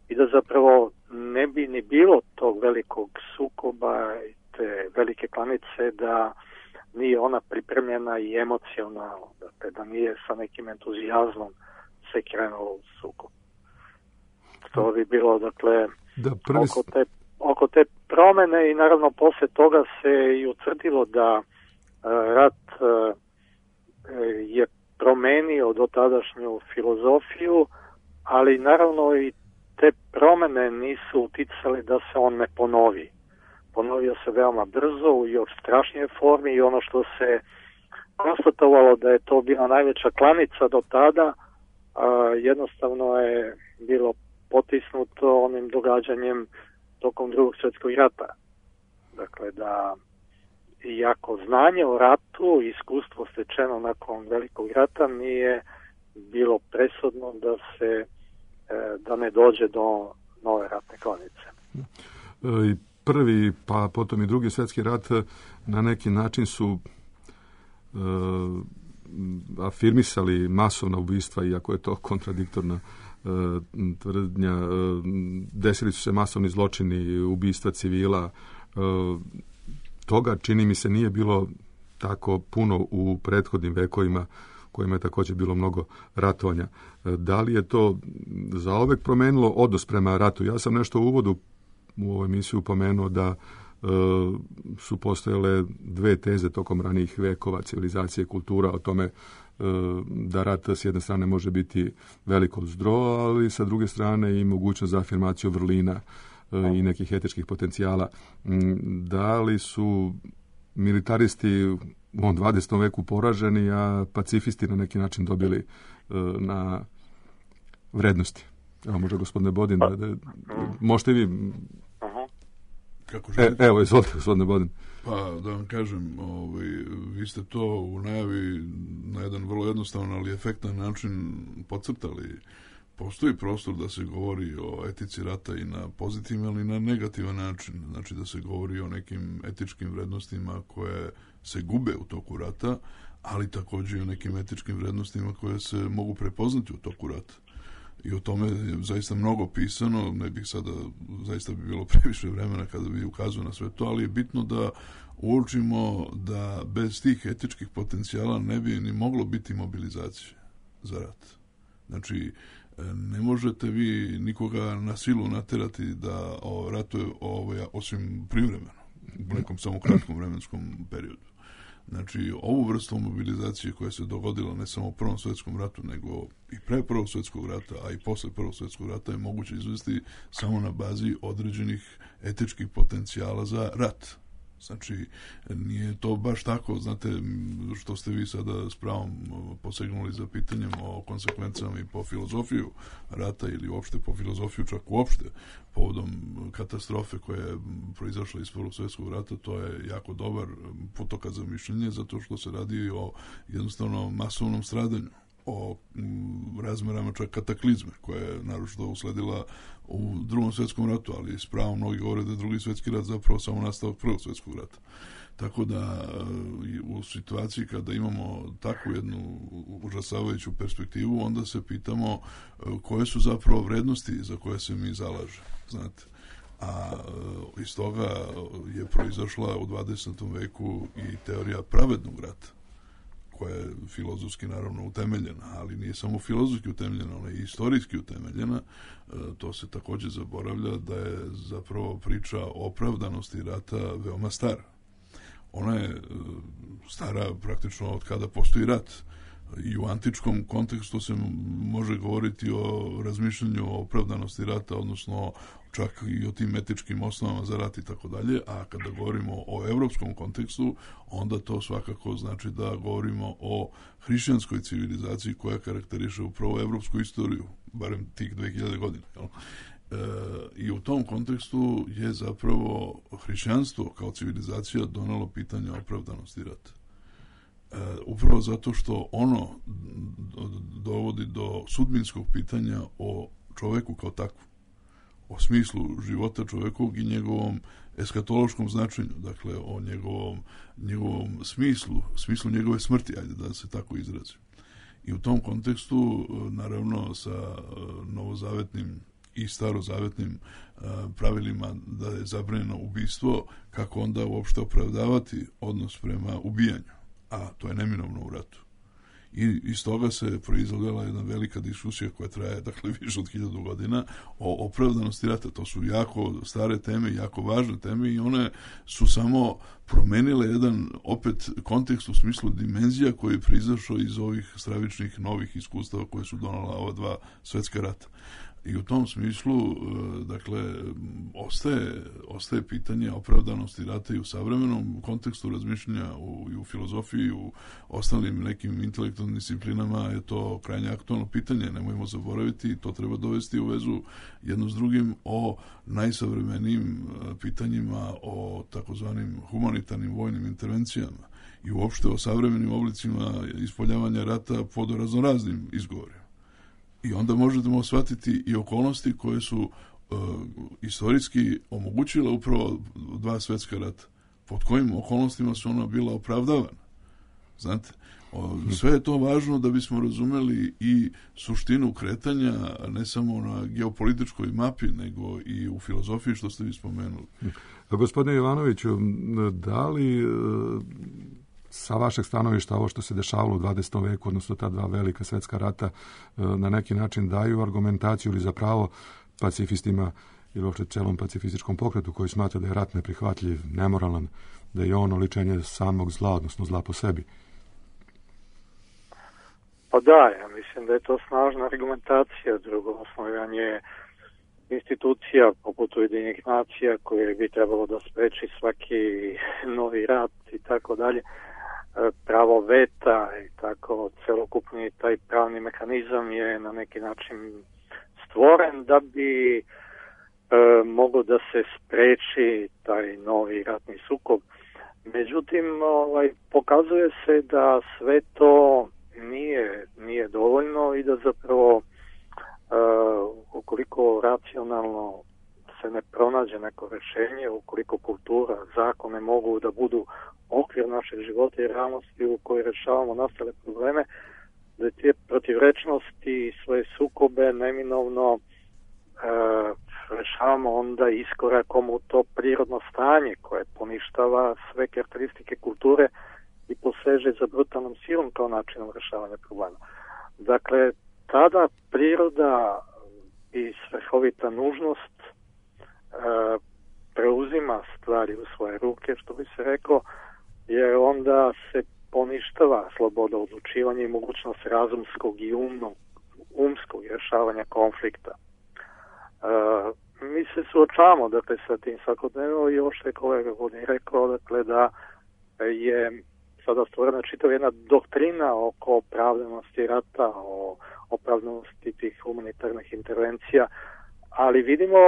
i da zapravo ne bi ni bilo tog velikog sukoba i te velike klanice da nije ona pripremljena i emocionalno, dakle, da nije sa nekim entuzijazmom se krenulo u sukob. To bi bilo, dakle, da, prvi... oko, te, oko te promene i naravno posle toga se i utvrdilo da uh, rat uh, je promenio dotadašnju filozofiju, ali naravno i te promene nisu uticale da se on ne ponovi. Ponovio se veoma brzo u još strašnije formi i ono što se konstatovalo da je to bila najveća klanica do tada, a, jednostavno je bilo potisnuto onim događanjem tokom drugog svjetskog rata. Dakle, da iako znanje o ratu, iskustvo stečeno nakon velikog rata nije bilo presudno da se da ne dođe do nove ratne klanice. I prvi, pa potom i drugi svjetski rat na neki način su uh, afirmisali masovna ubistva, iako je to kontradiktorna uh, tvrdnja. Uh, desili su se masovni zločini, ubistva civila. Uh, toga, čini mi se, nije bilo tako puno u prethodnim vekovima, kojima je također bilo mnogo ratovanja. Da li je to zaovek promenilo odnos prema ratu? Ja sam nešto u uvodu u ovoj emisiju pomenuo da e, su postojale dve teze tokom ranijih vekova civilizacije, kultura, o tome e, da rat s jedne strane može biti veliko zdro, ali sa druge strane i mogućnost za afirmaciju vrlina e, i nekih etičkih potencijala. Da li su militaristi u ovom dvadesetom veku poraženi, a pacifisti na neki način dobili uh, na vrednosti? Evo, možda gospodine Bodin, da, da, možete vi... Kako e, evo, izvolite, gospodine Bodin. Pa, da vam kažem, ovaj, vi ste to u najavi na jedan vrlo jednostavan, ali efektan način podcrtali. Postoji prostor da se govori o etici rata i na pozitivan, ali i na negativan način. Znači da se govori o nekim etičkim vrednostima koje se gube u toku rata, ali također i o nekim etičkim vrednostima koje se mogu prepoznati u toku rata. I o tome je zaista mnogo pisano, ne bih sada, zaista bi bilo previše vremena kada bi ukazao na sve to, ali je bitno da uočimo da bez tih etičkih potencijala ne bi ni moglo biti mobilizacije za rat. Znači, ne možete vi nikoga na silu naterati da ratuje ovaj, osim privremeno, u nekom samo kratkom vremenskom periodu. Znači, ovu vrstu mobilizacije koja se dogodila ne samo u Prvom svjetskom ratu, nego i pre Prvog svjetskog rata, a i posle Prvog svjetskog rata je moguće izvesti samo na bazi određenih etičkih potencijala za rat. Znači, nije to baš tako, znate, što ste vi sada s pravom posegnuli za pitanjem o konsekvencama i po filozofiju rata ili uopšte po filozofiju čak uopšte povodom katastrofe koja je proizašla iz Prvog svjetskog rata. To je jako dobar putokaz za mišljenje, zato što se radi o jednostavno masovnom stradanju, o razmerama čak kataklizme koja je naročito usledila u Drugom svjetskom ratu, ali s pravom mnogi govore da je Drugi svjetski rat zapravo samo nastavak Prvog svjetskog rata. Tako da u situaciji kada imamo takvu jednu užasavajuću perspektivu, onda se pitamo koje su zapravo vrednosti za koje se mi zalažemo, znate. A iz toga je proizašla u dvadesetom veku i teorija pravednog rata, koja je filozofski naravno utemeljena, ali nije samo filozofski utemeljena, ona je istorijski utemeljena. To se također zaboravlja da je zapravo priča o opravdanosti rata veoma stara. Ona je stara praktično od kada postoji rat. I u antičkom kontekstu se može govoriti o razmišljanju o opravdanosti rata, odnosno čak i o tim etičkim osnovama za rat i tako dalje, a kada govorimo o evropskom kontekstu, onda to svakako znači da govorimo o hrišćanskoj civilizaciji koja karakteriše upravo evropsku istoriju, barem tih dve hiljade godina. Jel? E, I u tom kontekstu je zapravo hrišćanstvo kao civilizacija donelo pitanje opravdanosti rata. E, upravo zato što ono dovodi do sudbinskog pitanja o čoveku kao takvu, o smislu života čovekovog i njegovom eskatološkom značenju, dakle o njegovom, njegovom smislu, smislu njegove smrti, ajde da se tako izrazim. I u tom kontekstu, naravno, sa novozavetnim i starozavetnim pravilima da je zabranjeno ubistvo, kako onda uopšte opravdavati odnos prema ubijanju, a to je neminovno u ratu. I iz toga se proizvodila jedna velika diskusija koja traje, dakle, više od hiljadu godina o opravdanosti rata. To su jako stare teme, jako važne teme i one su samo promenile jedan, opet, kontekst u smislu dimenzija koji je proizašao iz ovih stravičnih novih iskustava koje su donala ova dva svetska rata. I u tom smislu, dakle, ostaje, ostaje pitanje opravdanosti rata i u savremenom kontekstu razmišljanja u, i u filozofiji i u ostalim nekim intelektualnim disciplinama je to krajnje aktualno pitanje. Nemojmo zaboraviti, to treba dovesti u vezu jedno s drugim o najsavremenijim pitanjima, o takozvanim humanitarnim vojnim intervencijama i uopšte o savremenim oblicima ispoljavanja rata pod raznoraznim izgovorima. I onda možemo shvatiti i okolnosti koje su uh, istorijski omogućile upravo dva svetska rata. Pod kojim okolnostima su ona bila opravdavana. Znate, o, sve je to važno da bismo razumeli i suštinu kretanja, ne samo na geopolitičkoj mapi, nego i u filozofiji, što ste vi spomenuli. Gospodine Jovanoviću, da li sa vašeg stanovišta ovo što se dešavalo u dvadesetom veku, odnosno ta dva velika svetska rata, na neki način daju argumentaciju ili zapravo pacifistima ili uopšte celom pacifističkom pokretu koji smatra da je rat neprihvatljiv, nemoralan, da je on oličenje samog zla, odnosno zla po sebi? Pa da, ja mislim da je to snažna argumentacija. Drugo, osnovanje institucija poput Ujedinjenih nacija koje bi trebalo da spreči svaki novi rat i tako dalje, pravo veta i tako celokupni taj pravni mehanizam je na neki način stvoren da bi e, moglo da se spreči taj novi ratni sukob. Međutim, ovaj, pokazuje se da sve to nije, nije dovoljno i da zapravo Uh, ukoliko racionalno se ne pronađe neko rešenje, ukoliko kultura, zakone mogu da budu okvir našeg života i realnosti u kojoj rešavamo nastale probleme, da te protivrečnosti i svoje sukobe neminovno uh, rešavamo onda iskorakom u to prirodno stanje koje poništava sve karakteristike kulture i poseže za brutalnom silom kao načinom rešavanja problema. Dakle, tada priroda i svrhovita nužnost e, preuzima stvari u svoje ruke, što bi se reklo, jer onda se poništava sloboda odlučivanja i mogućnost razumskog i umnog, umskog rješavanja konflikta. E, mi se suočavamo, dakle, sa tim svakodnevno i ovo što je kolega Godin rekao, dakle, da je sada stvorena čitava jedna doktrina oko opravdanosti rata, o opravdanosti tih humanitarnih intervencija, ali vidimo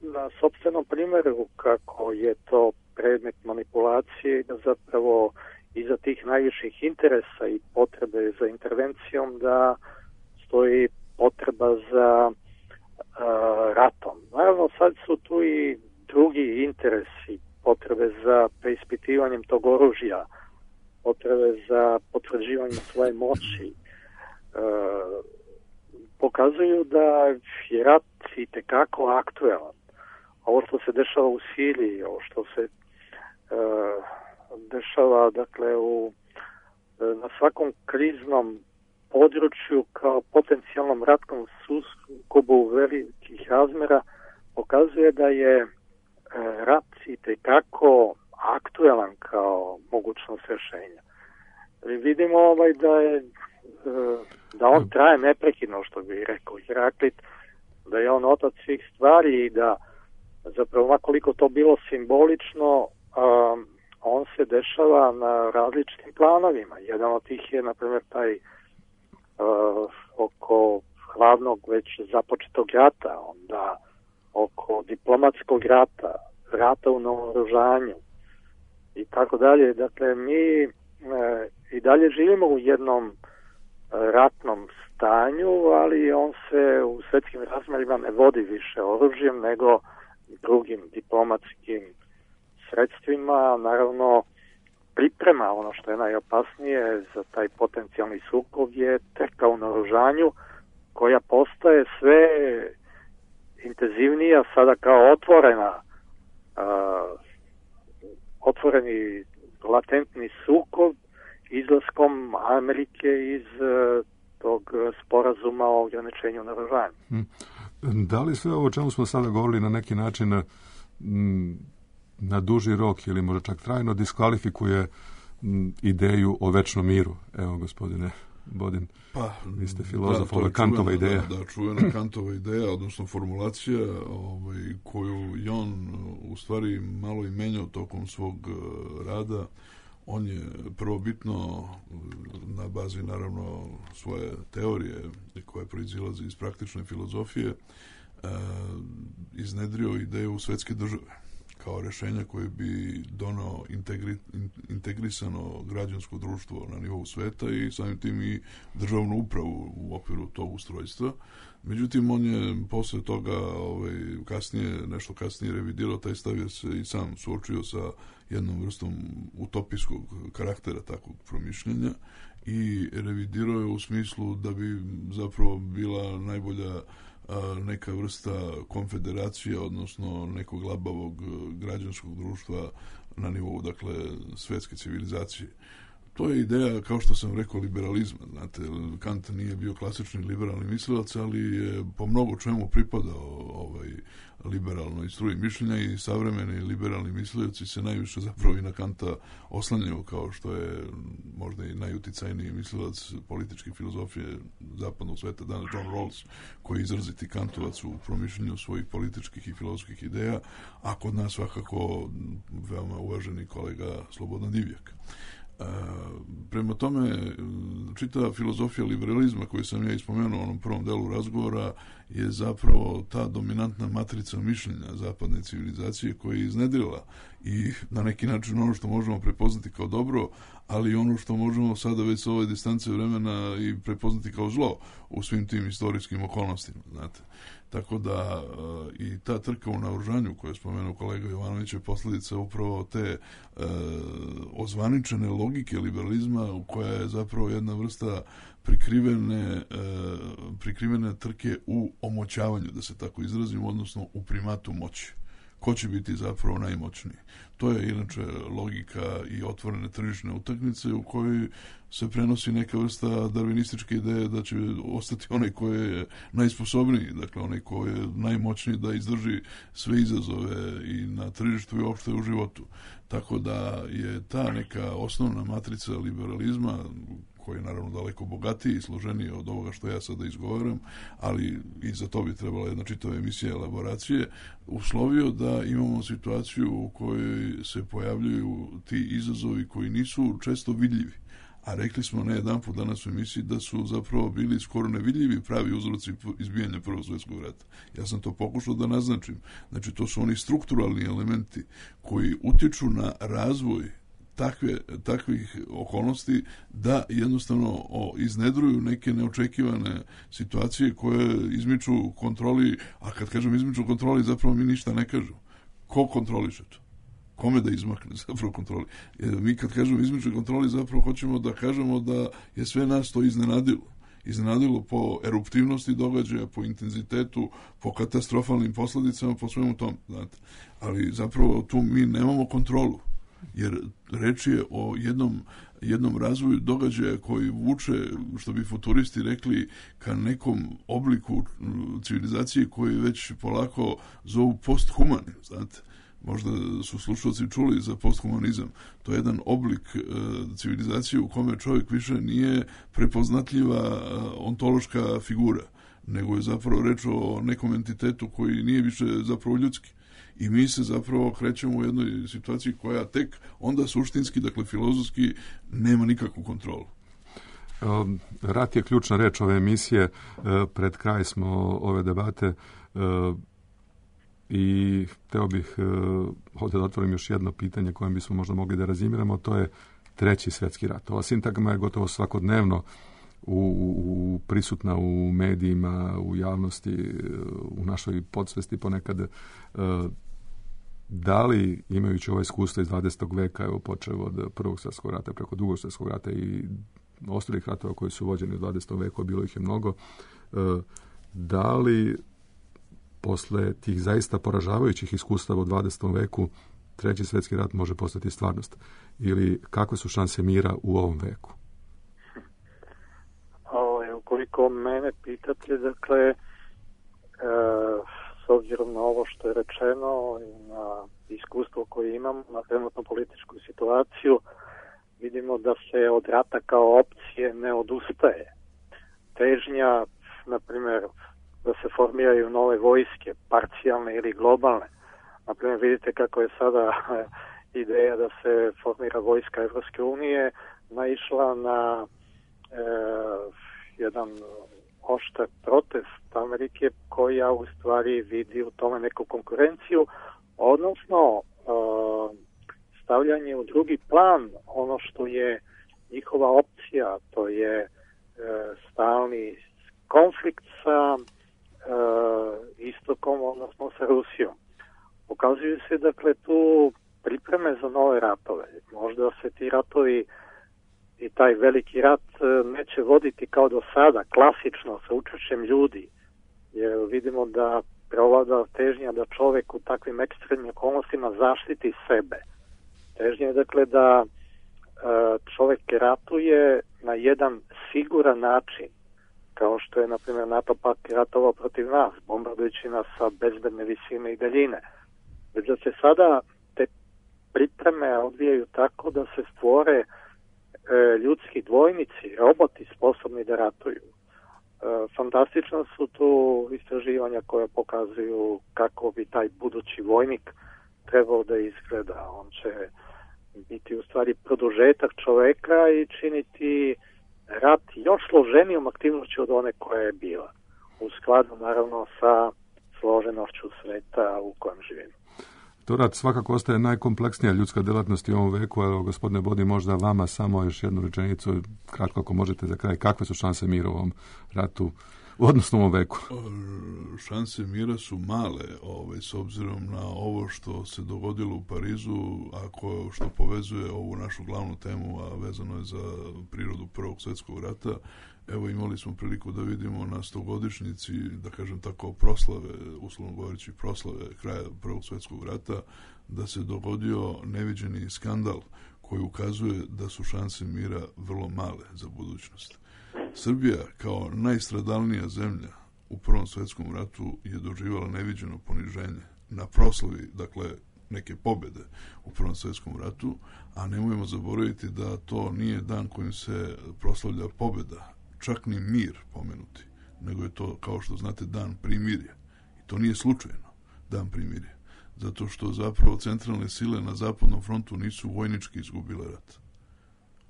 na sopstvenom primjeru kako je to predmet manipulacije i da zapravo iza tih najviših interesa i potrebe za intervencijom da stoji potreba za uh, ratom. Naravno, sad su tu i drugi interesi, potrebe za preispitivanjem tog oružja, potrebe za potvrđivanjem svoje moći, e, pokazuju da je rat itekako aktuelan. Ovo što se dešava u Siriji, ovo što se e, dešava dakle u, na svakom kriznom području kao potencijalnom ratnom sukobu velikih razmera, pokazuje da je e, rat itekako aktuelan kao mogućnost rješenja. Vidimo ovaj da je da on traje neprekidno, što bi rekao Heraklit, da je on otac svih stvari i da zapravo makoliko to bilo simbolično, um, on se dešava na različitim planovima. Jedan od tih je, na primjer, taj uh, oko hladnog već započetog rata, onda oko diplomatskog rata, rata u naoružanju i tako dalje. Dakle, mi uh, i dalje živimo u jednom ratnom stanju, ali on se u svetskim razmerima ne vodi više oružjem nego drugim diplomatskim sredstvima. Naravno, priprema, ono što je najopasnije za taj potencijalni sukob, je trka u naoružanju koja postaje sve intenzivnija, sada kao otvorena uh, otvoreni latentni sukob izlaskom Amerike iz uh, tog sporazuma o ograničenju naoružanja. Da li sve ovo o čemu smo sada govorili na neki način m, na duži rok ili možda čak trajno diskvalifikuje m, ideju o večnom miru? Evo, gospodine Bodin, pa, vi ste filozof, ovo je Kantova ideja. Da, da, čuvena Kantova ideja, odnosno formulacija ovaj, koju je on u stvari malo i menjao tokom svog rada. On je prvobitno na bazi naravno svoje teorije koje proizilaze iz praktične filozofije iznedrio ideju svetske države kao rješenja koje bi donao integri, integrisano građansko društvo na nivou sveta i samim tim i državnu upravu u okviru tog ustrojstva. Međutim, on je posle toga ovaj, kasnije, nešto kasnije revidirao taj stav jer se i sam suočio sa jednom vrstom utopijskog karaktera takvog promišljenja i revidirao je u smislu da bi zapravo bila najbolja a, neka vrsta konfederacije, odnosno nekog labavog građanskog društva na nivou, dakle, svetske civilizacije. To je ideja, kao što sam rekao, liberalizma. Znate, Kant nije bio klasični liberalni mislilac, ali je po mnogo čemu pripadao ovaj, liberalnoj struji mišljenja i savremeni liberalni mislioci se najviše zapravo i na Kanta oslanjaju, kao što je možda i najuticajniji mislilac političke filozofije zapadnog sveta, danas John Rawls, koji je izraziti Kantovac u promišljenju svojih političkih i filozofskih ideja, a kod nas svakako veoma uvaženi kolega Slobodan Divjak. Uh, prema tome, čitava filozofija liberalizma koju sam ja ispomenuo u onom prvom delu razgovora je zapravo ta dominantna matrica mišljenja zapadne civilizacije koja je iznedrila i na neki način ono što možemo prepoznati kao dobro, ali ono što možemo sada već sa ove distance vremena i prepoznati kao zlo u svim tim istorijskim okolnostima, znate. Tako da uh, i ta trka u naoružanju koju je spomenuo kolega Jovanović je posljedica upravo te uh, ozvaničene logike liberalizma koja je zapravo jedna vrsta prikrivene, uh, prikrivene trke u omoćavanju, da se tako izrazim, odnosno u primatu moći. Ko će biti zapravo najmoćniji? To je inače logika i otvorene tržišne utakmice u kojoj se prenosi neka vrsta darvinističke ideje da će ostati onaj koji je najsposobniji, dakle onaj koji je najmoćniji da izdrži sve izazove i na tržištu i uopšte u životu. Tako da je ta neka osnovna matrica liberalizma, koji je naravno daleko bogatiji i složeniji od ovoga što ja sada izgovaram, ali i za to bi trebala jedna čitava emisija elaboracije, uslovio da imamo situaciju u kojoj se pojavljuju ti izazovi koji nisu često vidljivi. A rekli smo ne jedan put danas u emisiji da su zapravo bili skoro nevidljivi pravi uzroci izbijanja Prvog svjetskog rata. Ja sam to pokušao da naznačim. Znači, to su oni strukturalni elementi koji utječu na razvoj takve, takvih okolnosti da jednostavno o, iznedruju neke neočekivane situacije koje izmiču kontroli, a kad kažem izmiču kontroli zapravo mi ništa ne kažu. Ko kontroliše to? kome da izmakne zapravo kontroli. Mi kad kažemo izmičnoj kontroli, zapravo hoćemo da kažemo da je sve nas to iznenadilo. Iznenadilo po eruptivnosti događaja, po intenzitetu, po katastrofalnim posledicama, po svemu tom. Znate. Ali zapravo tu mi nemamo kontrolu, jer reč je o jednom, jednom razvoju događaja koji vuče, što bi futuristi rekli, ka nekom obliku civilizacije koji već polako zovu posthumanim. Znate. Možda su slušalci čuli za posthumanizam. To je jedan oblik e, civilizacije u kome čovjek više nije prepoznatljiva e, ontološka figura, nego je zapravo reč o nekom entitetu koji nije više zapravo ljudski. I mi se zapravo krećemo u jednoj situaciji koja tek onda suštinski, dakle filozofski, nema nikakvu kontrolu. Rat je ključna reč ove emisije. Pred kraj smo ove debate i hteo bih ovdje da otvorim još jedno pitanje kojem bismo možda mogli da razimiramo, to je treći svjetski rat. Ova sintagma je gotovo svakodnevno u, u, prisutna u medijima, u javnosti, u našoj podsvesti ponekad. Da li, imajući ovo iskustvo iz dvadesetog veka, evo počeo od prvog svjetskog rata preko drugog svjetskog rata i ostalih ratova koji su vođeni u dvadesetom veku, bilo ih je mnogo, da li posle tih zaista poražavajućih iskustava u dvadesetom veku treći svjetski rat može postati stvarnost? Ili kakve su šanse mira u ovom veku? O, ukoliko mene pitate, dakle, e, s obzirom na ovo što je rečeno i na iskustvo koje imam, na trenutnu političku situaciju, vidimo da se od rata kao opcije ne odustaje. Težnja, na primjer, da se formiraju nove vojske, parcijalne ili globalne. Naprimjer, vidite kako je sada ideja da se formira vojska Evropske unije naišla na e, jedan oštar protest Amerike koja u stvari vidi u tome neku konkurenciju, odnosno e, stavljanje u drugi plan ono što je njihova opcija, to je e, stalni konflikt sa istokom, odnosno sa Rusijom. Pokazuju se, dakle, tu pripreme za nove ratove. Možda se ti ratovi i taj veliki rat neće voditi kao do sada, klasično, sa učešćem ljudi. Jer vidimo da prevlada težnja da čovjek u takvim ekstremnim okolnostima zaštiti sebe. Težnja je, dakle, da čovjek ratuje na jedan siguran način, kao što je, na primjer, NATO pak ratovao protiv nas, bombardujući nas sa bezbedne visine i daljine. Već da se sada te pripreme odvijaju tako da se stvore e, ljudski dvojnici, roboti sposobni da ratuju. E, fantastično su tu istraživanja koje pokazuju kako bi taj budući vojnik trebao da izgleda. On će biti u stvari produžetak čoveka i činiti rat još složenijom aktivnošću od one koja je bila. U skladu, naravno, sa složenošću sveta u kojem živimo. To rat svakako ostaje najkompleksnija ljudska delatnost u ovom veku. Evo, gospodine Bodi, možda vama samo još jednu rečenicu, kratko ako možete za kraj. Kakve su šanse mira u ovom ratu, odnosno u ovom veku? Šanse mira su male, ovaj, s obzirom na ovo što se dogodilo u Parizu, ako što povezuje ovu našu glavnu temu, a vezano je za prirodu Prvog svjetskog rata. Evo, imali smo priliku da vidimo na stogodišnjici, da kažem tako, proslave, uslovno govoreći proslave kraja Prvog svjetskog rata, da se dogodio neviđeni skandal koji ukazuje da su šanse mira vrlo male za budućnost. Srbija kao najstradalnija zemlja u Prvom svjetskom ratu je doživjela neviđeno poniženje na proslavi, dakle, neke pobjede u Prvom svjetskom ratu, a nemojmo zaboraviti da to nije dan kojim se proslavlja pobjeda, čak ni mir pomenuti, nego je to, kao što znate, dan primirja. I to nije slučajno dan primirja, zato što zapravo centralne sile na zapadnom frontu nisu vojnički izgubile rat.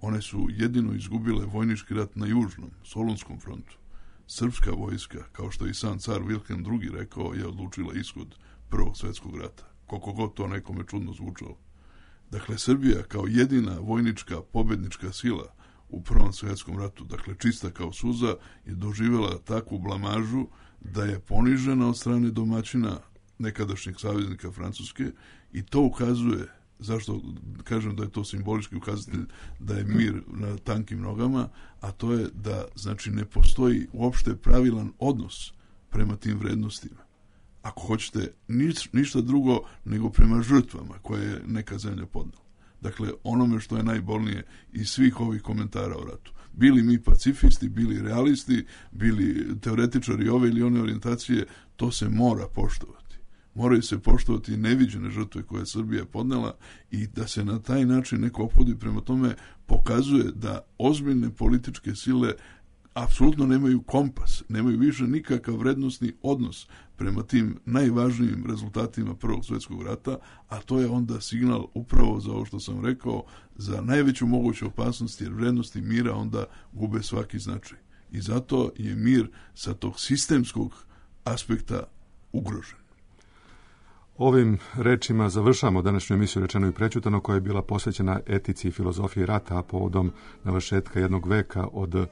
One su jedino izgubile vojnički rat na južnom, Solunskom frontu. Srpska vojska, kao što je i sam car Wilhelm drugi rekao, je odlučila ishod Prvog svjetskog rata. Koliko god to nekome čudno zvučalo. Dakle, Srbija kao jedina vojnička pobjednička sila u Prvom svjetskom ratu, dakle čista kao suza, je doživjela takvu blamažu da je ponižena od strane domaćina nekadašnjeg saveznika Francuske, i to ukazuje zašto kažem da je to simbolički ukazatelj da je mir na tankim nogama, a to je da znači ne postoji uopšte pravilan odnos prema tim vrednostima. Ako hoćete niš, ništa drugo nego prema žrtvama koje je neka zemlja podnela. Dakle, onome što je najbolnije iz svih ovih komentara o ratu. Bili mi pacifisti, bili realisti, bili teoretičari ove ili one orijentacije, to se mora poštovati. Moraju se poštovati neviđene žrtve koje je Srbija podnela i da se na taj način neko ophodi prema tome pokazuje da ozbiljne političke sile apsolutno nemaju kompas, nemaju više nikakav vrednostni odnos prema tim najvažnijim rezultatima Prvog svjetskog rata, a to je onda signal upravo za ovo što sam rekao, za najveću moguću opasnost, jer vrednosti mira onda gube svaki značaj. I zato je mir sa tog sistemskog aspekta ugrožen. Ovim rečima završamo današnju emisiju Rečeno i prećutano, koja je bila posvećena etici i filozofiji rata, a povodom navršetka jednog veka od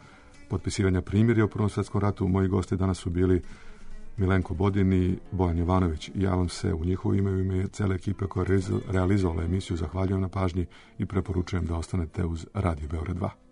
potpisivanja primirja u Prvom svjetskom ratu. Moji gosti danas su bili Milenko Bodin i Bojan Jovanović. Ja vam se u njihovo ime, u ime cele ekipe koja je realizovala emisiju zahvaljujem na pažnji i preporučujem da ostanete uz Radio Beograd dva.